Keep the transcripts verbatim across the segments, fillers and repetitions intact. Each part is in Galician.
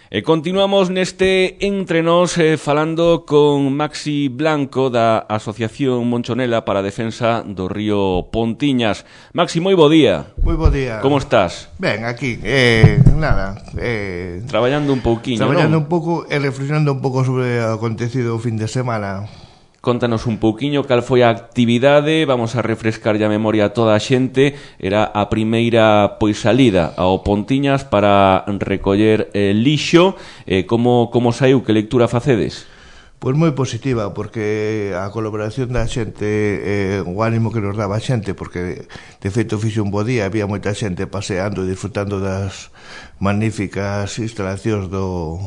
E continuamos neste Entre Nós eh, falando con Maxi Blanco da Asociación Monchonela para a Defensa do Río Pontiñas. Maxi, moi bo día. Moi bo día. Como estás? Ben, aquí, eh, nada eh, Traballando un pouquiño, Traballando non? un pouco e reflexionando un pouco sobre o acontecido o fin de semana. Contanos un pouquiño cal foi a actividade. Vamos a refrescar a memoria a toda a xente. Era a primeira pois salida ao Pontiñas para recoller eh, lixo. eh, como, como saiu? Que lectura facedes? Pois moi positiva, porque a colaboración da xente, eh, o ánimo que nos daba a xente, porque de feito fixe un bo día, había moita xente paseando e disfrutando das magníficas instalacións do,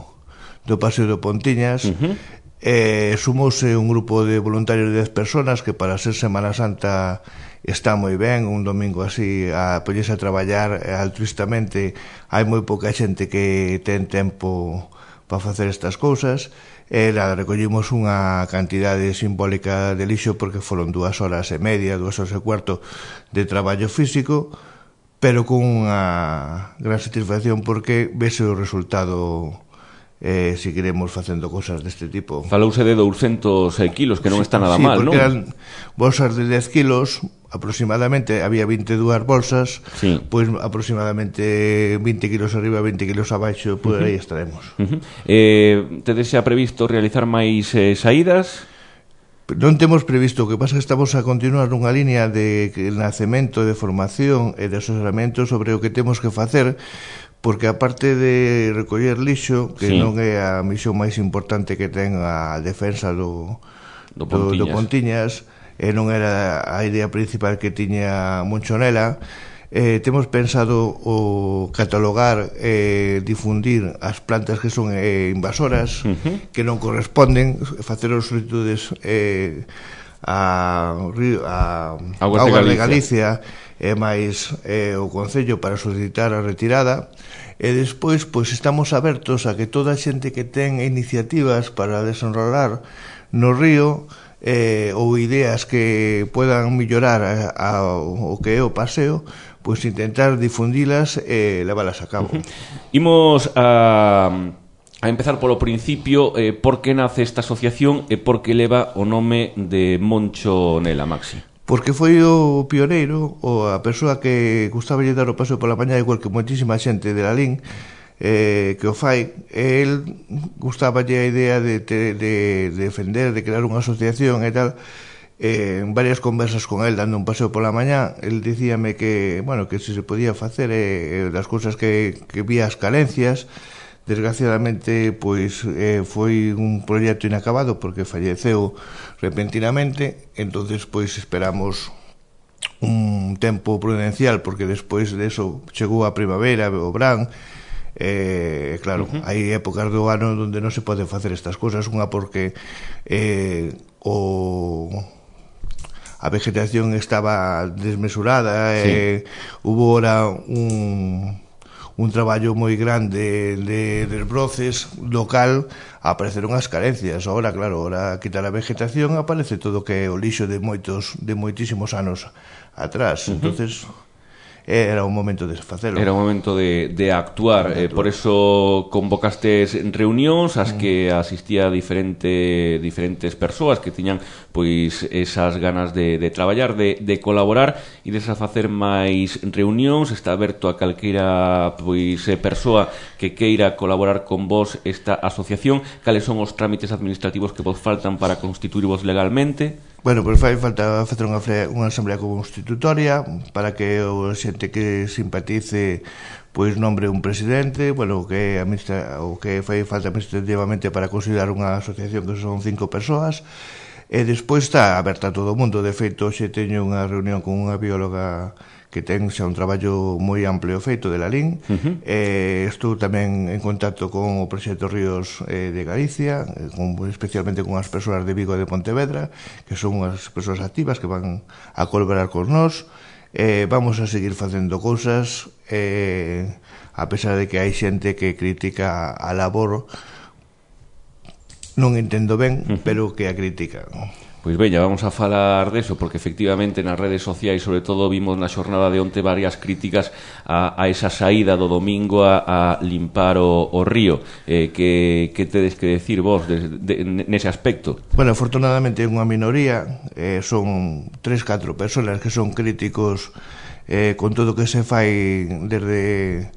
do Paseo do Pontiñas. Uh-huh. Eh, sumouse un grupo de voluntarios de dez personas que para ser Semana Santa está moi ben, un domingo así a poñerse a traballar altruistamente. Hai moi pouca xente que ten tempo para facer estas cousas. E nada, recollimos unha cantidade simbólica de lixo porque foron dúas horas e media, dúas horas e cuarto de traballo físico, pero con unha gran satisfacción porque vese o resultado. Eh, si queremos facendo cosas deste tipo. Falouse de douscentos kilos, que non está nada sí, mal, non? Sí, porque eran bolsas de dez kilos, aproximadamente, había veintidúas bolsas, sí. Pois aproximadamente vinte kilos arriba, vinte kilos abaixo, por uh-huh. aí estaremos. Uh-huh. Eh, tedes xa previsto realizar máis eh, saídas? Non temos previsto, o que pasa é que estamos a continuar nunha línea de nacemento, de formación e de asesoramento sobre o que temos que facer, porque aparte de recoller lixo, que sí. non é a misión máis importante que ten a defensa do, do Pontiñas, do, do Pontiñas e non era a idea principal que tiña Monchonela, eh, temos pensado o catalogar e eh, difundir as plantas que son eh, invasoras, uh-huh. que non corresponden, facer os solicitudes eh, a, a Augas Augas de Galicia, de Galicia e máis eh, o Concello para solicitar a retirada. E despois, pois estamos abertos a que toda a xente que ten iniciativas para desenrolar no río eh, ou ideas que puedan mellorar a, a, o que é o paseo, pois intentar difundilas e leválas a cabo. Uh-huh. Imos a... A empezar polo principio, eh, por que nace esta asociación e por que leva o nome de Monchonela, Maxi? Porque foi o pioneiro, ou a persoa que gustaba lle dar o paseo pola mañá, igual que moitísima xente de Lalín, eh, que o fai. El gustaba lle a idea de, de, de defender, de crear unha asociación e tal. Eh, en varias conversas con el dando un paseo pola mañá, el dicíame que, bueno, que se se podía facer eh, das cousas que, que vía as carencias. Desgraciadamente, pois eh, foi un proxecto inacabado porque falleceu repentinamente. Entonces, pois esperamos un tempo prudencial porque despois de eso chegou a primavera, o verán. Eh, claro, uh-huh. hai épocas do ano onde non se pode facer estas cousas. Unha porque eh, o... a vegetación estaba desmesurada, sí. eh, hubo ora un... un traballo moi grande de desbroces local, apareceron as carencias. Ahora, claro, ahora quitar a vegetación aparece todo que é o lixo de moitos de moitísimos anos atrás. Uh-huh. Entonces era o momento de facelo. Era o momento de, de actuar. Eh, por eso convocastes reunións ás que asistía diferente, diferentes persoas que tiñan pois esas ganas de, de traballar, de, de colaborar e de facer máis reunións. Está aberto a calqueira pois persoa que queira colaborar con vos esta asociación. Cales son os trámites administrativos que vos faltan para constituirvos legalmente? Bueno, pois fai falta facer unha, unha asamblea constitutoria para que o xente que simpatice pois nombre un presidente, bueno, o que administra, o que fai falta administrativamente para considerar unha asociación que son cinco persoas. E despois está aberta a todo o mundo. De feito, xe teño unha reunión con unha bióloga que ten xa un traballo moi amplio feito de Lalín. Uh-huh. eh, estou tamén en contacto con o proxecto Ríos eh, de Galicia, eh, con, especialmente con as persoas de Vigo e de Pontevedra, que son unhas persoas activas que van a colaborar con nós. Eh, vamos a seguir facendo cousas, eh, a pesar de que hai xente que critica a labor, non entendo ben, uh-huh. pero que a critica. Pois veña, vamos a falar deso, porque efectivamente nas redes sociais, sobre todo, vimos na xornada de onte varias críticas a, a esa saída do domingo a, a limpar o, o río. Eh, que, que tedes que decir vos de, de, nese aspecto? Bueno, afortunadamente é unha minoría, eh, son tres, catro persoas que son críticos eh, con todo o que se fai desde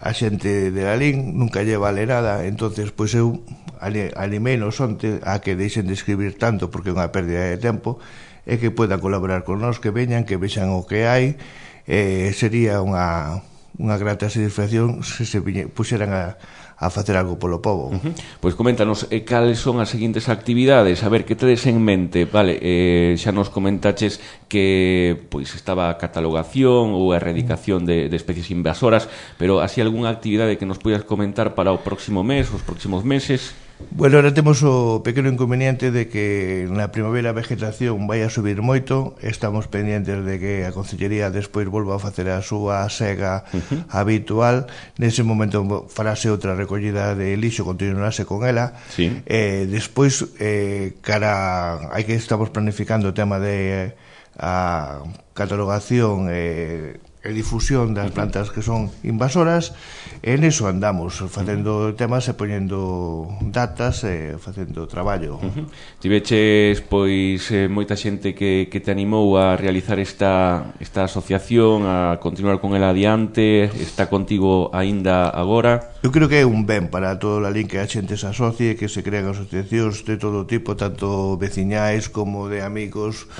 a xente de Lalín, nunca lle vale nada. Entonces, pois eu animei-nos onte a que deixen de escribir tanto, porque é unha pérdida de tempo, e que podan colaborar con nós, que veñan, que vexan o que hai. Eh, sería unha, unha grata satisfacción se se puxeran a a facer algo polo povo. Uh-huh. Pois coméntanos, eh, cales son as seguintes actividades, a ver, que tedes en mente? Vale, eh, xa nos comentaches que pois estaba a catalogación ou a erradicación de, de especies invasoras, pero así algunha actividade que nos poidas comentar para o próximo mes, os próximos meses? Bueno, ahora temos o pequeno inconveniente de que na primavera a vegetación vai a subir moito. Estamos pendientes de que a Concellería despois volva a facer a súa sega uh-huh. habitual. Nese momento farase outra recollida de lixo, continuarase con ela. Sí. Eh, despois, eh, cara, hai que estamos planificando o tema de a catalogación e eh, e difusión das plantas que son invasoras. En eso andamos, facendo temas e poñendo datas e facendo traballo. Uh-huh. Tiveches, pois, eh, moita xente que, que te animou a realizar esta, esta asociación, a continuar con ela adiante, está contigo aínda agora? Eu creo que é un ben para todo o Lalín que a xente se asocie, que se crean asociacións de todo tipo, tanto veciñais como de amigos.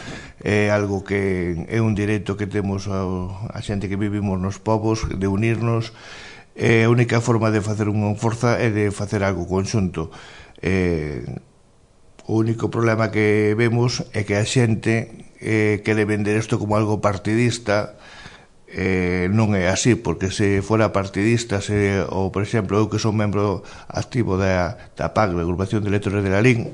É algo que é un dereito que temos a, a xente que vivimos nos povos, de unirnos. É a única forma de facer unha forza é de facer algo conxunto. Eh, o único problema que vemos é que a xente eh, quere vender isto como algo partidista. Eh, non é así, porque se fora partidista, se, ou por exemplo eu que son membro activo da, da P A C, da Agrupación de Lectores de Lalín,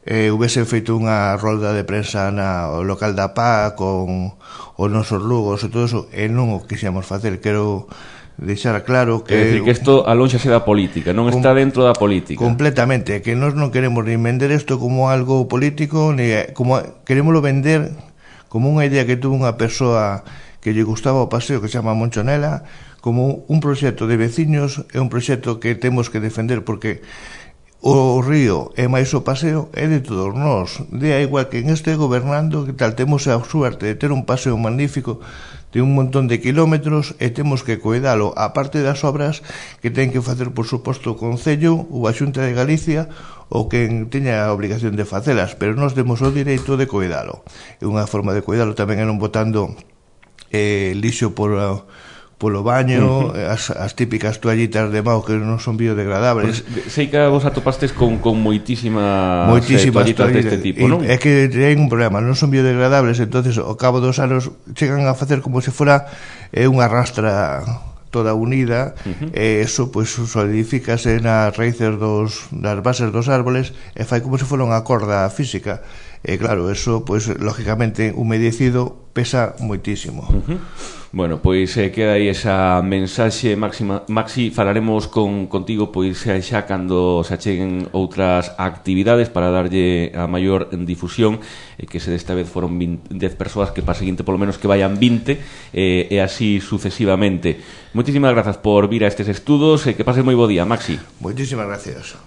eh, houvese feito unha rolda de prensa na o local da P A C con os nosos logos e todo eso, e non o quixemos facer. Quero deixar claro que... É dicir, que isto alónxase da política, non está dentro da política. Completamente, que nós non queremos nin vender isto como algo político, ni como queremoslo vender como unha idea que tuvo unha persoa que lle gustaba o paseo, que se chama Monchonela, como un proxecto de veciños, é un proxecto que temos que defender, porque o río e máis o paseo é de todos nós. De igual que en este gobernando, que tal, temos a suerte de ter un paseo magnífico de un montón de kilómetros e temos que cuidalo, a parte das obras que ten que facer, por suposto, o Concello ou a Xunta de Galicia, ou quen teña a obligación de facelas, pero nós temos o direito de cuidalo. E unha forma de cuidalo tamén é non botando eh, lixo por, polo baño, uh-huh. as, as típicas toallitas de mao que non son biodegradables. Pues, sei que vos atopastes con, con moitísimas, moitísimas eh, toallitas deste tipo, non? É que hai un problema, non son biodegradables, entonces ao cabo dos anos chegan a facer como se fora eh, unha rastra toda unida, uh-huh. e eso pois pues, solidifícase nas raíces dos, das bases dos árboles e fai como se fora unha corda física. E claro, eso, pois, pues, lógicamente, humedecido pesa moitísimo. Uh-huh. Bueno, pois eh, queda aí esa mensaxe máxima. Maxi, falaremos con, contigo pois xa cando se acheguen outras actividades para darlle a maior difusión, e eh, que se desta vez foron dez persoas, que para a seguinte polo menos que vayan vinte, eh, e así sucesivamente. Moitísimas grazas por vir a estes estudos e que pases moi bo día, Maxi. Moitísimas gracias.